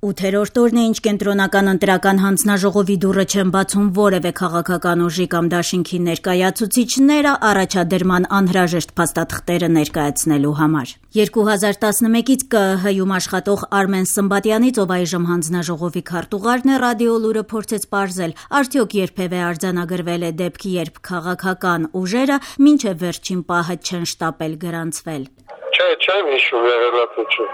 8-րդ օրն է, ինչ կենտրոնական ընտրական հանձնաժողովի դուռը չեն բացում որևէ քաղաքական ուժի կամ դաշինքի ներկայացուցիչները առաջադրման անհրաժեշտ փաստաթղթերը ներկայացնելու համար։ 2011-ից ԿԸՀ-ում աշխատող Արմեն Սմբատյանից, ով այժմ հանձնաժողովի քարտուղարն է, Ռադիո Լուրը փորձեց պարզել, արդյոք երբևէ արձանագրվել է դեպք, երբ քաղաքական ուժերը մինչև վերջին պահը չեն շտապել գրանցվել։ Չեմ հիշում եղելացություն։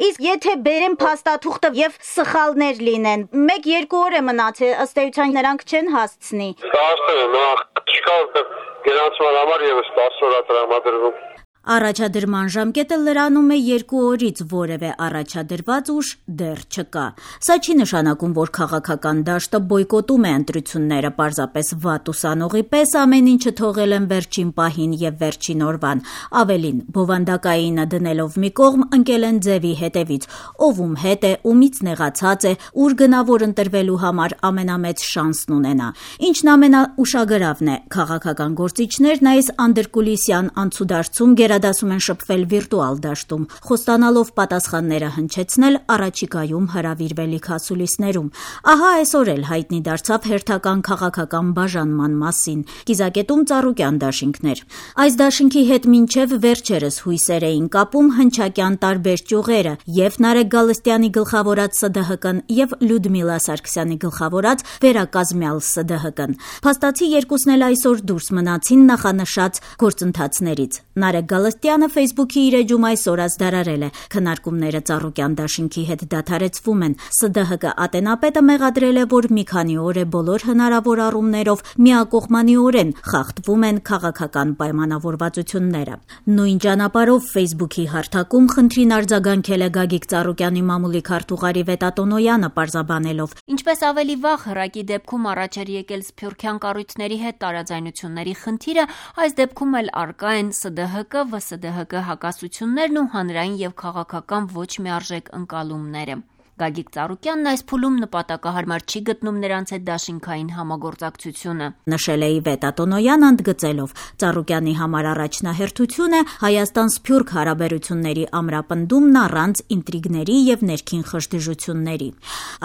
Իսկ եթե բերեն փաստաթուղթը եւ սխալներ լինեն, 1-2 օր է մնացել, ըստ էության նրանք չեն հասցնի։ Հասցնել են, չկա որտեղ գրանցման համար եւս 10 օր է տրամադրվում։ Առաջադրման ժամկետը լրանում է 2 օրից, որևէ առաջադրված ուժ դեռ չկա։ Սա չի նշանակում, որ քաղաքական դաշտը բոյկոտում է ընտրությունները, պարզապես վատ ուսանողի պես ամեն ինչը թողել են վերջին պահին եւ վերջին օրվան։ Ավելին, բովանդակայինը դնելով մի կողմ, ընկել են ձևի հետևից, ում հետ է, ումից նեղացած է, ուր գնավոր ընտրվելու համար ամենամեծ շանսն ունենա։ Ինչն ամենաուշագրավն է, քաղաքական գործիչներն այս անդրկուլիսյան անցուդարձում դասում են շփվել վիրտուալ դաշտում, խոստանալով պատասխանները հնչեցնել առաջիկայում հրավիրվելիք հասուլիսներում։ Ահա այսօր էլ հայտնի դարձավ հերթական քաղաքական բաժանման մասին։ Կիզակետում Ծառուկյան դաշինքներ։ Այս դաշինքի հետ մինչև վերջերս հույսեր էին կապում հնչակյան տարբեր ճյուղերը, եւ Նարեկ Գալստյանի գլխավորած ՍԴՀԿ-ն եւ Լյուդմիլա Սարգսյանի գլխավորած վերակազմյալ ՍԴՀԿ-ն։ Փաստացի երկուսն էլ այսօր դուրս մնացին նախանշած գործընթացներից։ Նարեկ Գալստյանը Facebook-ի իր էջում այսօր ազդարարել է։ Քննարկումները Ծառուկյան դաշինքի հետ դադարեցվում են։ ՍԴՀԿ ատենապետը մեղադրել է, որ մի քանի օր է բոլոր հնարավոր առումներով միակողմանիորեն խախտվում են քաղաքական պայմանավորվածությունները։ Նույն ճանապարհով Facebook-ի հարթակում խնդրին արձագանքել է Գագիկ Ծառուկյանի մամուլի քարտուղարի Վետատոնոյանը, պարզաբանելով. Ինչպես ավելի վաղ հրակի դեպքում առաջ էր եկել սփյուռքյան կառույցների հետ տարաձայնությունների խնդիրը, այս դեպքում էլ արկա են ՍԴՀԿ, ՎՍԴՀԿ հակասություններն ու հանրային եւ քաղաքական ոչ միարժեք ընկալումները։ Գագիկ Ծառուկյանն այս փուլում նպատակահարմար չի գտնում նրանց հետ դաշինքային համագործակցությունը։ Նշել է Վետատոնոյան, ընդգծելով, Ծառուկյանի համար առաջնահերթություն է Հայաստան-Սփյուռք հարաբերությունների ամրապնդումն առանց ինտրիգների եւ ներքին խժդժությունների։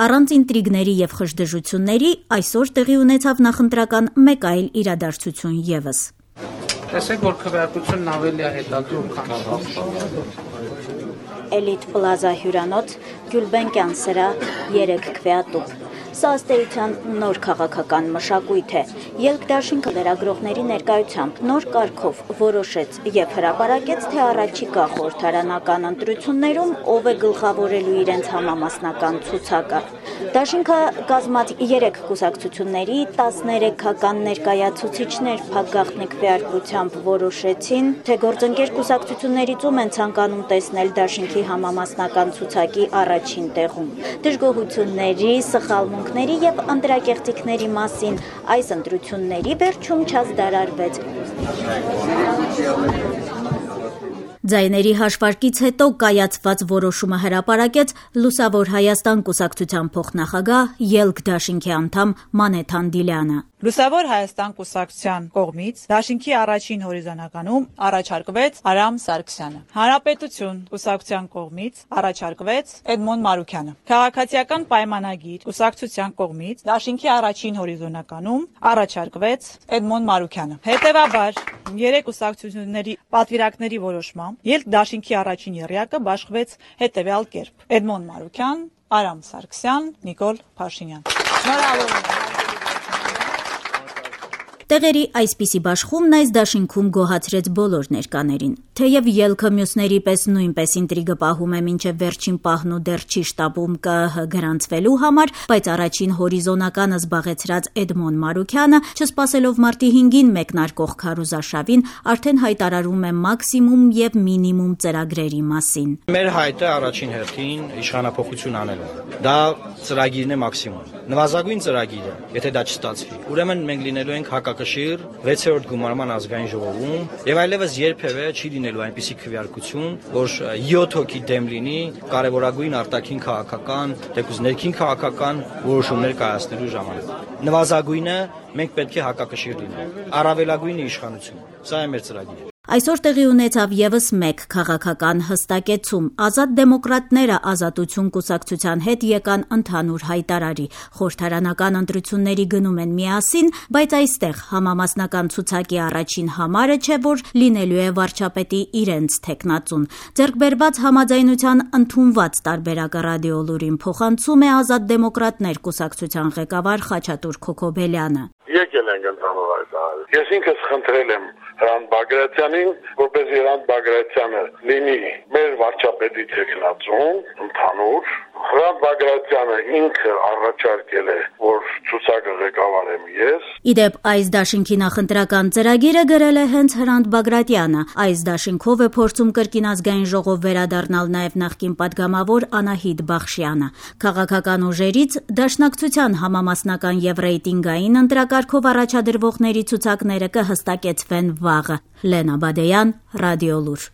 Առանց ինտրիգների եւ խժդժությունների այսօր տեղի ունեցավ նախընտրական մեկ այլ իրադարձություն եւս։ Տեսեք, որ քվեարկությունն ավելի է հետադարձ, քան Էլիտ Պլազա հյուրանոց, Գյուլբենկյան սրահ, 3 քվեատուփ։ Սա ըստ էության նոր քաղաքական մշակույթ է։ Ելք դաշինքը լրագրողների ներկայությամբ նոր կարգով որոշեց եւ հրապարակեց, թե առաջիկա խորհրդարանական ընտրություններում ով է գլխավորելու իրենց համամասնական ցուցակը։ Դաշինքը կազմած 3 կուսակցությունների 13-ական ներկայացուցիչներ փակգաղտնի քվեարկությամբ որոշեցին, թե գործընկեր կուսակցություններից ում են ցանկանում տեսնել դաշինքի համամասնական ցուցակի առաջին տեղում։ Դժգոհությունների, սխալմունքների եւ ընտրակեղծիքների մասին այս ընտրությունների վերջում չազդարարվեց։ Ձայների հաշվարկից հետո կայացված որոշումը հրապարակեց Լուսավոր Հայաստան կուսակցության փոխնախագահ, Ելք դաշինքի անդամ Մանեթ Անդիլյանը։ Լուսավոր Հայաստան կուսակցության կողմից դաշինքի առաջին հորիզոնականում առաջարկվեց Արամ Սարգսյանը։ Հանրապետություն կուսակցության կողմից առաջարկվեց Էդմոն Մարուքյանը։ Քաղաքացիական պայմանագիր կուսակցության կողմից դաշինքի առաջին հորիզոնականում առաջարկվեց Էդմոն Մարուքյանը։ Հետևաբար, 3 կուսակցությունների պատվիրակների որոշմամբ Ելք դաշինքի առաջին եռյակը բաշխվեց հետևյալ կերպ. Էդմոն Մարուքյան, Արամ Սարգսյան, Նիկոլ Փաշինյան։ Շնորհավորում։ Տեղերի այսպիսի բաշխումն այս դաշինքում գոհացրեց բոլոր ներկաներին։ Թեև ելքը մյուսների պես նույնպես ինտրիգը պահում է մինչև վերջին պահն ու դեռ չի շտապում ԿԸՀ գրանցվելու համար, բայց առաջին հորիզոնականը զբաղեցրած Էդմոն Մարուքյանը, չսպասելով մարտի 5-ին մեկնարկող քարոզարշավին, արդեն հայտարարում է մաքսիմում եւ մինիմում ծրագրերի մասին։ Մեր հայտը առաջին հերթին իշխանափոխություն անելու։ Դա ծրագիրն է մաքսիմում։ Նվազագույն ծրագիրը, եթե դա չստացվի, ուրեմն մենք լինելու ենք հակակշիռ 6-րդ գումարման ազգային ժողովում եւ այլևս երբևէ չի լինելու այնպիսի քվեարկություն, որ 7 հոգի դեմ լինի կարևորագույն արտաքին քաղաքական, դեպի ներքին քաղաքական որոշումներ կայացնելու ժամանակ։ Նվազագույնը մենք պետք է հակակշիռ լինենք։ Առավելագույնը իշխանություն։ Սա է մեր ծրագիրը։ Այսօր տեղի ունեցավ եւս մեկ քաղաքական հստակեցում։ Ազատ դեմոկրատները Ազատություն կուսակցության հետ եկան ընդհանուր հայտարարի։ Խորհրդարանական ընտրությունների գնում են միասին, բայց այստեղ համամասնական ցուցակի առաջին համարը չէ, որ լինելու է վարչապետի իրենց թեկնածուն։ Ձեռքբերված համաձայնության ընդունված տարբերակը ռադիոլուրին փոխանցում է Ազատ դեմոկրատներ կուսակցության ղեկավար Խաչատուր Քոքոբելյանը։ Եկել ենք ընդհանուր հայտարարի։ Ես ինքս խնդրել եմ Հրանտ Բագրատյանին, որպեսզի Հրանտ Բագրատյանը լինի մեր վարչապետի թեկնածուն ընդհանուր։ Հրանտ Բագրատյանը ինքը առաջարկել է, որ ցուցակը ղեկավարեմ ես։ Իդեպ այս դաշինքի նախընտրական ծրագիրը գրել է հենց Հրանտ Բագրատյանը։ Այս դաշինքով է փորձում կրկին ազգային ժողով վերադառնալ նաև նախկին падգամավոր Անահիտ Բախշյանը։ Քաղաքական ուժերից Դաշնակցության համամասնական եւ ռեյտինգային ընտրակարգով առաջադրվողների ցուցակները կհստակեցվեն վաղը։ Լենա Բադեյան, Ռադիոլուր։